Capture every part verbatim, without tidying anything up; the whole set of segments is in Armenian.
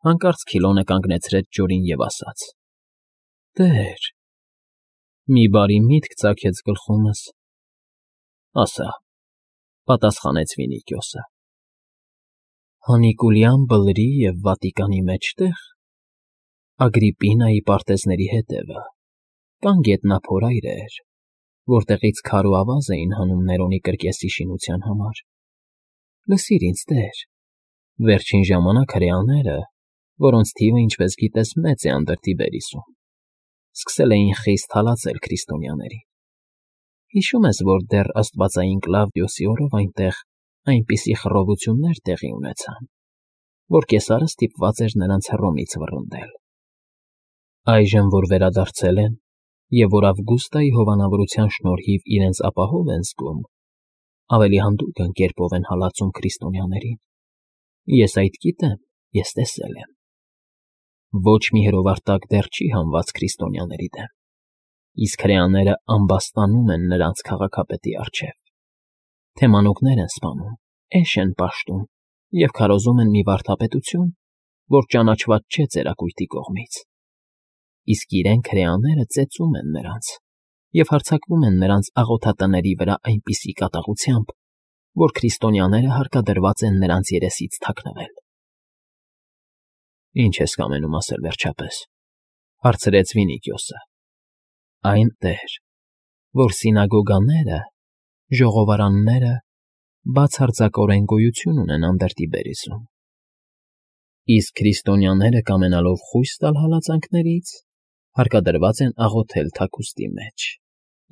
Հանկարծ Քիլոնը կանգնեցրեց Ջորին և ասաց. ֊ Տեր… Մի բարի միտք ծագեց գլխումս։ ֊ Ասա,֊ պատասխանեց Ֆինիկիոսը,֊ Հանիկուլյան Բլրի և Վատիկանի մեջտե՞ղ, Ագրիպինայի պարտեզների հետևը, կան գետնափորայրեր, որտեղից քար ու ավազ էին հանում Ներոնի կրկեսի շինության համար. լսիր ինձ, տեր, վերջին ժամանակ հրեաները, որոնց թիվը, ինչպես գիտես, մեծ է Անդրտիբերիսում, սկսել էին խիստ հալածել քրիստոնյաներին. հիշում ես, որ դեռ աստվածային Կլավդիոսի օրով այնտեղ այնպիսի խռովություններ տեղի ունեցան, որ կեսարը ստիպված էր նրանց Հռոմից վռնդել. այժմ, որ վերադարձել են և որ Ավգուստայի հովանավորության շնորհիվ իրենց ապահով են զգում, ավելի հանդուգն կերպով են հալածում քրիստոնյաներին. ես այդ գիտեմ, ես տեսել եմ. ոչ մի հրովարտակ դեռ չի հանված քրիստոնյաների դեմ, իսկ հրեաները ամբաստանում են նրանց քաղաքապետի առջև, թեմանոկներ են սպանում, էշ են պաշտում և քարոզում են մի վարդապետություն, որ ճանաչված չէ ծերակույտի կողմից, իսկ իրենք հրեաները ծեծում են նրանց և հարձակվում են նրանց աղոթատների վրա այնպիսի կատաղությամբ, որ քրիստոնյաները հարկադրված են նրանց երեսից թաքնվել։ ֊ Ի՞նչ ես կամենում ասել, վերջապես,֊ հարցրեց Վինիկիոսը։ ֊ Այն, տեր, որ սինագոգաները, ժողովարանները բացարձակորեն գոյություն ունեն Անդրտիբերիսում, իսկ քրիստոնյաները, կամենալով խույս տալ հալածանքներից, հարկադրված են աղոթել թաքուստի մեջ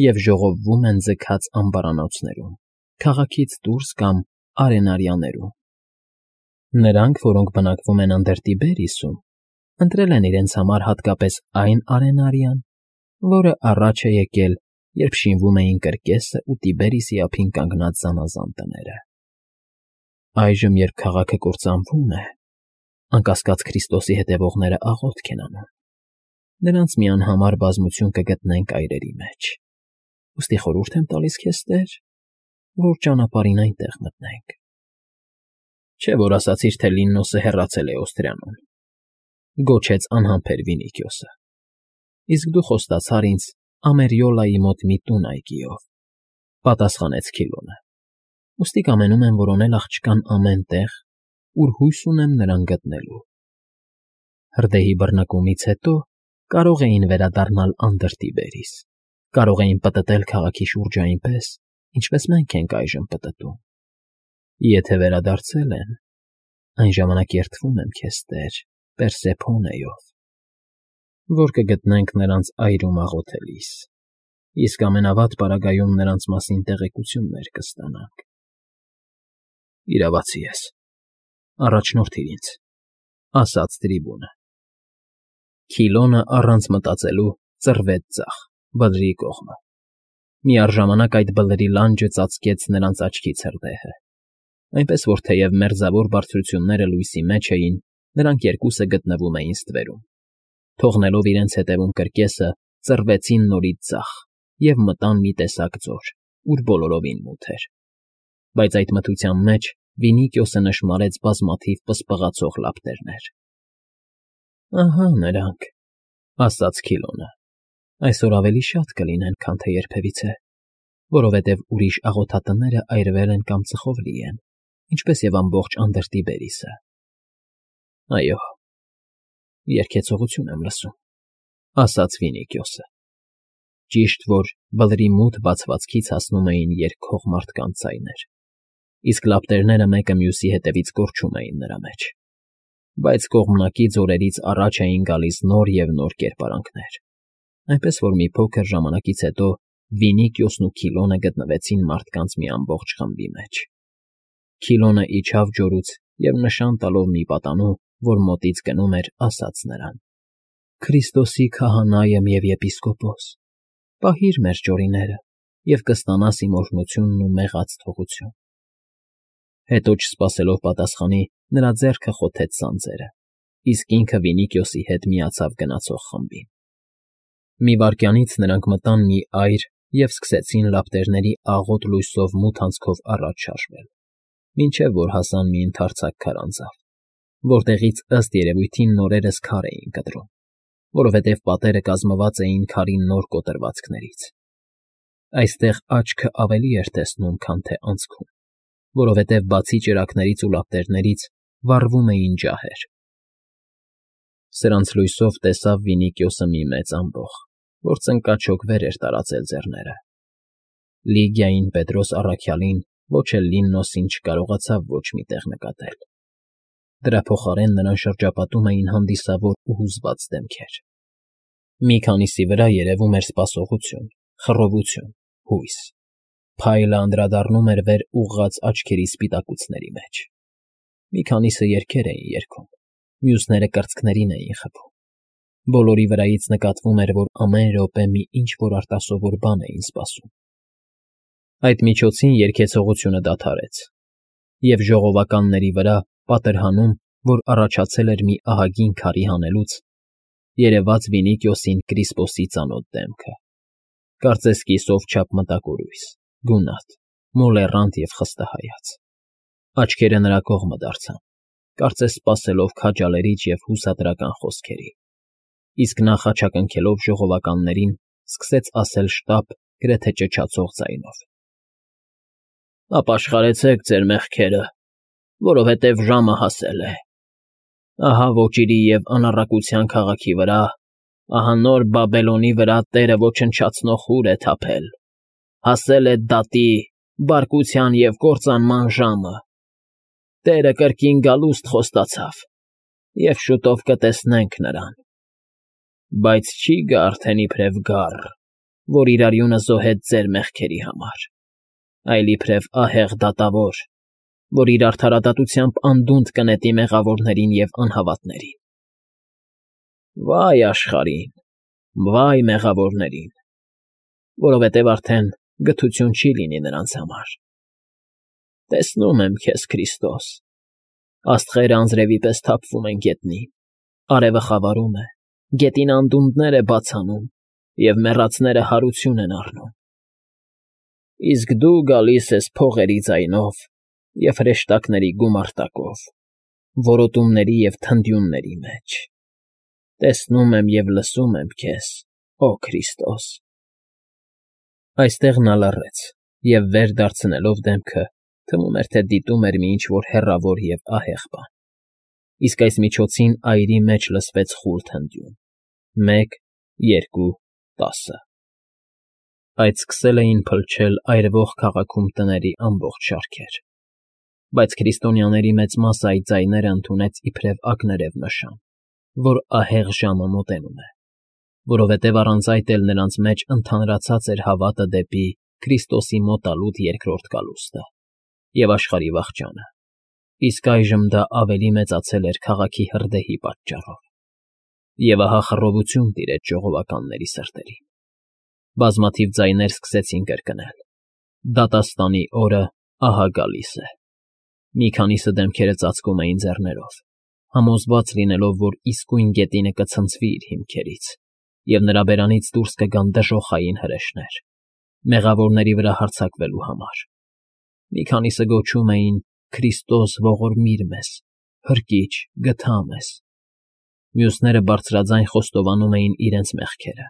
և ժողովվում են ձգած ամբարանոցներում, քաղաքից դուրս կամ արենարյաներում։ Նրանք, որոնք բնակվում են Անդրտիբերիսում, ընտրել են իրենց համար հատկապես այն արենարյան, որը առաջ է եկել, երբ շինվում էին կրկեսը ու Տիբերիսի ափին կանգնած զանազան տները։ Այժմ, երբ քաղաքը կործանվում է, անկասկած Քրիստոսի հետևողները աղոթք են անում, նրանց մի անհամար բազմություն կգտնենք այրերի մեջ, ուստի խորհուրդ եմ տալիս քեզ, տեր, որ ճանապարհին այնտեղ մտնենք։ ֊ Չէ՞ որ ասացիր, թե Լիննոսը հեռացել է Օստրիանում,֊ գոչեց անհամբեր Վինիկիոսը,֊ իսկ դու խոստացար ինձ Ամերիոլայի մոտ մի տուն այգիով,֊ պատասխանեց Քիլոնը,֊ ուստի կամենում եմ որոնել աղջկան ամեն տեղ, ուր հույս ունեմ նրան գտնելու։ Հրդեհի բռնկումից հետո կարող էին վերադառնալ Անդրտիբերիս, կարող էին պտտել քաղաքի շուրջը այնպես, ինչպես մենք ենք այժմ պտտում։ Եթե վերադարձել են, այն ժամանակ երդվում եմ քեզ, տեր, Պերսեփոնեով, որ կգտնենք նրանց այրում աղոթելիս, իսկ ամենավատ պարագայում նրանց մասին տեղեկություններ կստանանք։ ֊ Իրավացի ես, առաջնորդիր ինձ,֊ ասաց տրիբունը։ Քիլոնը առանց մտածելու ծռվեց ձախ, Բլրի կողմը։ Միառժամանակ այդ Բլրի լանջը ծածկեց նրանց աչքից հրդեհը, այնպես որ թեև մերձավոր բարձրությունները լույսի մեջ էին, նրանք երկուսը գտնվում էին ստվերում, թողնելով իրենց հետևում կրկեսը, ծռվեցին նորից ձախ և մտան մի տեսակ ձոր, ուր բոլորովին մութ էր, բայց այդ մթության մեջ Վինիկիոսը նշմարեց բազմաթիվ պսպղացող լապտերներ։ ֊ Ահա նրանք,֊ ասաց Քիլոնը,֊ այսօր ավելի շատ կլինեն, քան թե երբևիցե, որովհետև ուրիշ աղոթատները այրվել են կամ ծխով լի են, ինչպես և ամբողջ Անդրտիբերիսը։ ֊ Այո, երգեցողություն եմ լսում,֊ ասաց Վինիկիոսը։ Ճիշտ որ Բլրի մութ բացվածքից հասնում էին երգող մարդկանց ձայներ, իսկ լապտերները մեկը մյուսի հետևից կորչում էին նրա մեջ, բայց կողմնակի ձորերից առաջ էին գալիս նոր և նոր կերպարանքներ, այնպես որ մի փոքր ժամանակից հետո Վինիկիոսն ու Քիլոնը գտնվեցին մարդկանց մի ամբողջ խմբի մեջ։ Քիլոնը իջավ ջորուց և նշան տալով մի պատանու, որ մոտից գնում էր, ասաց նրան. «Քրիստոսի քահանա եմ և եպիսկոպոս, պահիր մեր ջորիները և կստանաս իմ օրհնությունն ու մեղած թողություն»։ Հետո չսպասելով պատասխանի, նրա ձեռքը խոթեց սանձերը, իսկ ինքը Վինիկիոսի հետ միացավ գնացող խմբին։ Մի վայրկյանից նրանք մտան մի այր և սկսեցին լապտերների աղոտ լույսով մութ անցքով առաջ շարժվել, մինչև որ հասան մի ընդարձակ քարանձավ, որտեղից ըստ երևույթին նորերս քար էին կտրում, որովհետև պատերը կազմված էին քարի նոր կոտրվածքներից։ Այստեղ աչքը ավելի էր տեսնում, քան թե անցքում, որովհետև բացի ճրագներից ու լապտերներից վառվում էին ջահեր։ Սրանց լույսով տեսավ Վինիկիոսը մի մեծ ամբոխ, որ ծնկաչոքվեր էր տարածել ձեռները։ Լիգիային Պետրոս առաքյալին ոչ էլ Լիննոսին չկարողացավ ոչ մի տեղ նկատել։ Դրա փոխարեն նրան շրջապատում էին հանդիսավոր ու հուզված դեմքեր։ Մի քանիսի վրա երևում էր սպասողություն, խռովություն, հույս։ Փայլը անդրադառնում էր վեր ուղղած աչքերի սպիտակուցների մեջ։ Մի քանիսը երգեր էին երգում, մյուսները կրծքներին էին խփում։ Բոլորի վրայից նկատվում էր, որ ամեն րոպե մի ինչ-որ արտասովոր բան էին սպասում։ Այդ միջոցին երգեցողությունը դադարեց, և ժողովականների վրա, պատրհանում, որ առաջացել էր մի ահագին քարի հանելուց, երևաց Վինիկիոսին Կրիսպոսի ծանոթ դեմքը, կարծես կիսով չափ մտակորույս, գունատ, մոլեռանդ և խստահայաց։ Աչքերը նրա կողմը դարձան, կարծես սպասելով քաջալերիչ և հուսադրական խոսքերի, իսկ նա խաչակնքելով ժողովականներին սկսեց ասել շտապ, գրեթե ճչացող ձայնով. «Ապաշխարեցեք ձեր մեղքերը, որովհետև ժամը հասել է։ Ահա ոճիրի և անառակության քաղաքի վրա, ահա նոր Բաբելոնի վրա Տերը ոչնչացնող հուր է թափել։ Հասել է դատի, բարկության և կործանման ժամը։ Տերը կրկին գալուստ խոստացավ, և շուտով կտեսնենք նրան։ Բայց չի գա արդեն իբրև գառ, որ իր արյունը զոհեց ձեր մեղքերի համար, այլ իբրև ահեղ դատավոր, որ իր արդարադատությամբ անդունդը կնետի մեղավորներին և անհավատներին։ Վա՜յ աշխարհին, վա՜յ մեղավորներին, որովհետև արդեն գթություն չի լինի նրանց համար։ Տեսնում եմ քեզ, Քրիստոս, աստղերը անձրևի պես թափվում են գետնին, արևը խավարում է, գետին անդունդներ է բաց անում, և մեռածները հարություն են առնում։ Իսկ դու գալիս ես փողերի ձայնով և հրեշտակների գումարտակով, որոտումների և թնդյունների մեջ։ Տեսնում եմ և լսում եմ քեզ, օ Քրիստոս»։ Այստեղ նա լռեց և, վեր դարձնելով դեմքը, թվում էր, թե դիտում էր մի ինչ֊որ հեռավոր և ահեղ բան։ Իսկ այս միջոցին այրի մեջ լսվեց խուլ թնդյուն՝ մեկ, երկու, տասը… Այդ սկսել էին փլչել այրվող քաղաքում տների ամբողջ շարքեր, բայց քրիստոնյաների մեծ մասը այդ ձայները ընդունեց իբրև ակներև նշան, որ ահեղ ժամը մոտենում է, որովհետև առանց այդ էլ նրանց մեջ ընդհանրացած էր հավատը դեպի Քրիստոսի մոտալուտ երկրորդ գալուստը և աշխարհի վախճանը, իսկ այժմ դա ավելի մեծացել էր քաղաքի հրդեհի պատճառով։ Եվ ահա խռովություն տիրեց ժողովականների սրտերին։ Բազմաթիվ ձայներ սկսեցին կրկնել. «Դատաստանի օրը ահա գալիս է»։ Մի քանիսը դեմքերը ծածկում էին ձեռներով, համոզված լինելով, որ իսկույն գետինը կցնցվի իր հիմքերից, և նրա բերանից դուրս կգան դժոխային հրեշներ՝ մեղավորների վրա հարձակվելու համար։ Մի քանիսը գոչում էին. «Քրիստո՛ս, ողորմիր մեզ, Փրկի՛չ, գթա մեզ»։ Մյուսները բարձրաձայն խոստովանում էին իրենց մեղքերը։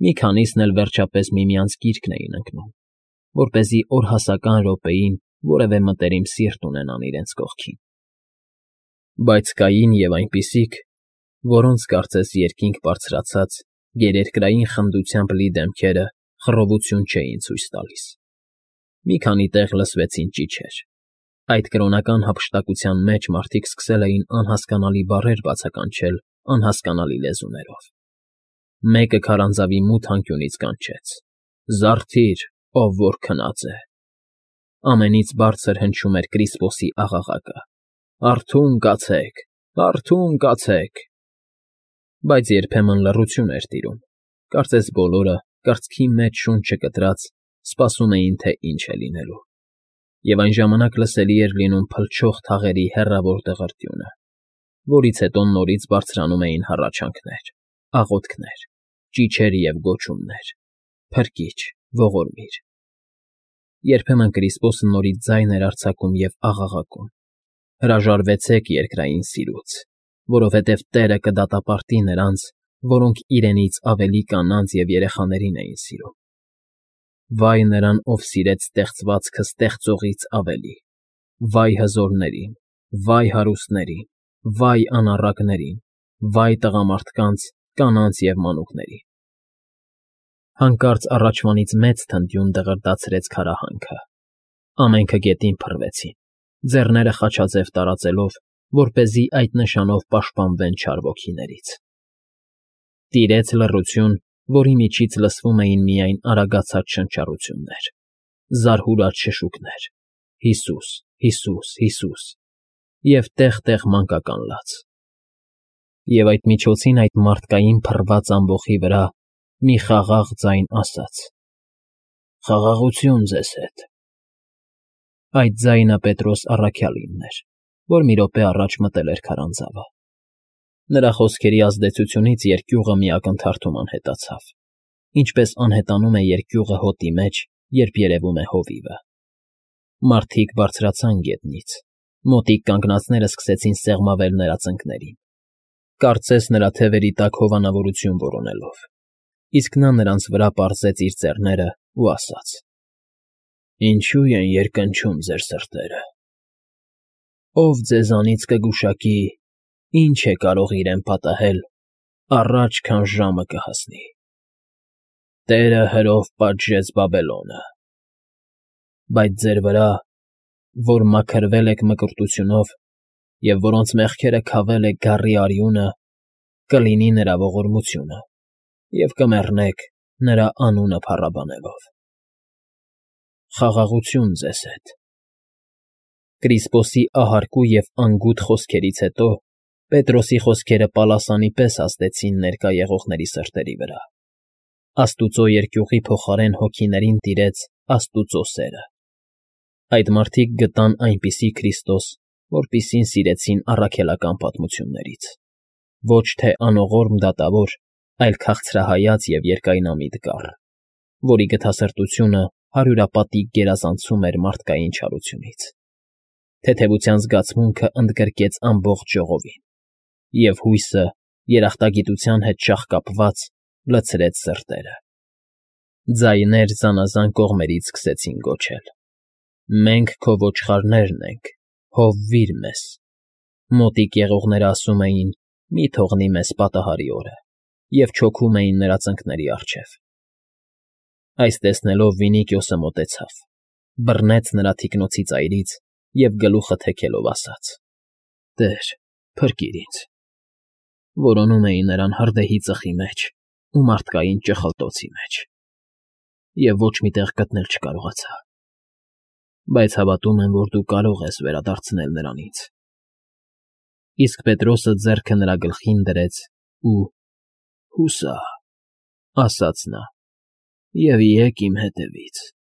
Մի քանիսն էլ վերջապես միմյանց գիրկն էին ընկնում, որպեսզի օրհասական րոպեին որևէ մտերիմ սիրտ ունենան իրենց կողքին։ Բայց կային և այնպիսիք, որոնց, կարծես երկինք բարձրացած, գերերկրային խնդությամբ լի դեմքերը խռովություն չէին ցույց տալիս։ Մի քանի տեղ լսվեցին ճիչեր։ Այդ կրոնական հափշտակության մեջ մարդիկ սկսել էին անհասկանալի բառեր բացականչել անհասկանալի լեզուներով։ Մեկը քարանձավի մութ անկյունից կանչեց. «Զարթի՛ր, ով որ քնած է»։ Ամենից բարձր հնչում էր Կրիսպոսի աղաղակը. «Արթո՛ւն կացեք, արթո՛ւն կացեք»։ Բայց երբեմն լռություն էր տիրում, կարծես բոլորը, կրծքի մեջ շունչը կտրած, սպասում էին, թե ինչ է լինելու։ Եվ այն ժամանակ լսելի էր լինում փլչող թաղերի հեռավոր դղրդյունը, որից հետո նորից բարձրանում էին հառաչանքներ, աղոթքներ, ճիչեր և գոչումներ. «Փրկի՛չ, ողորմիր»։ Երբեմն Կրիսպոսը նորից ձայն էր արձակում և աղաղակում. Հրաժարվեցեք երկրային սիրուց, որովհետև Տերը կդատապարտի նրանց, որոնք իրենից ավելի կանանց և երեխաներին էին սիրում։ Վայ նրան, ով սիրեց ստեղծվածքը ստեղծողից ավելի, վայ հզորներին, վայ հարուստներին, վայ անառակներին, վայ տղամարդկանց, կանանց և մանուկներին։ Հանկարծ առաջվանից մեծ թնդյուն դղրդացրեց քարահանքը, ամենքը գետին փռվեցին, ձեռները խաչաձև տարածելով, որպեսզի այդ նշանով պաշտպանվեն չար ոգիներից։ Տիրեց լռություն, որի միջից լսվում էին միայն արագացած շնչառություններ, զարհուրած շշուկներ. «Հիսուս, Հիսուս, Հիսուս» և տեղ֊տեղ մանկական լաց։ Եվ այդ միջոցին այդ մարդկային փռված ամբոխի վրա մի խաղաղ ձայն ասաց. «Խաղաղություն ձեզ հետ»։ Այդ ձայնը Պետրոս առաքյալինն էր, որ մի րոպե առաջ մտել էր քարանձավը։ Նրա խոսքերի ազդեցությունից երկյուղը մի ակնթարթում անհետացավ, ինչպես անհետանում է երկյուղը հոտի մեջ, երբ երևում է հովիվը։ Մարդիկ բարձրացան գետնից, մոտիկ կանգնածները սկսեցին սեղմավել նրա ծնկներին, կարծես նրա թևերի տակ հովանավորություն որոնելով, իսկ նա նրանց վրա պարզեց իր ձեռներն ու ասաց. «Ինչո՞ւ են երկնչում ձեր սրտերը։ Ով ձեզանից կգուշակի, ինչ է կարող իրեն պատահել, առաջ քան ժամը կհասնի։ Տերը հրով պատժեց Բաբելոնը, բայց ձեր վրա, որ մաքրվել եք մկրտությունով և որոնց մեղքերը քավել է գառի արյունը, կլինի նրա ողորմությունը, և կմեռնեք նրա անունը փառաբանելով։ Խաղաղություն ձեզ հետ»։ Կրիսպոսի ահարկու և անգութ խոսքերից հետո Պետրոսի խոսքերը պալասանի պես ազդեցին ներկա եղողների սրտերի վրա։ Աստուծո երկյուղի փոխարեն հոգիներին տիրեց Աստուծո սերը։ Այդ մարդիկ գտան այնպիսի Քրիստոս, որպիսին սիրեցին առաքելական պատմություններից, ոչ թե անողորմ դատավոր, այլ քաղցրահայաց և երկայնամիտ կառ, որի գթասրտությունը հարյուրապատիկ գերազանցում էր մարդկային չարությունից։ Թեթևության զգացմունքը ընդգրկեց ամբողջ ժողովին, և հույսը, երախտագիտության հետ շաղկապված, լցրեց սրտերը։ Ձայներ զանազան կողմերից սկսեցին գոչել. «Մենք քո ոչխարներն ենք, հովվի՛ր մեզ»։ Մոտիկ եղողները ասում էին. «Մի թողնի մեզ պատահարի օրը», և չոքում էին նրա ծնկների առջև։ Այս տեսնելով Վինիկիոսը մոտեցավ, բռնեց նրա թիկնոցի ծայրից և գլուխը թեքելով ասաց. «Տե՛ր, փրկիր ինձ»։ Որոնում էին նրան հրդեհի ծխի մեջ ու մարդկային ճխլտոցի մեջ, և ոչ մի տեղ գտնել չկարողացա, բայց հավատում եմ, որ դու կարող ես վերադարձնել նրան ինձ։ Իսկ Պետրոսը ձեռքը նրա գլխին դրեց ու. «Հուսա՛, ասաց նա, և եկ իմ հետևից»։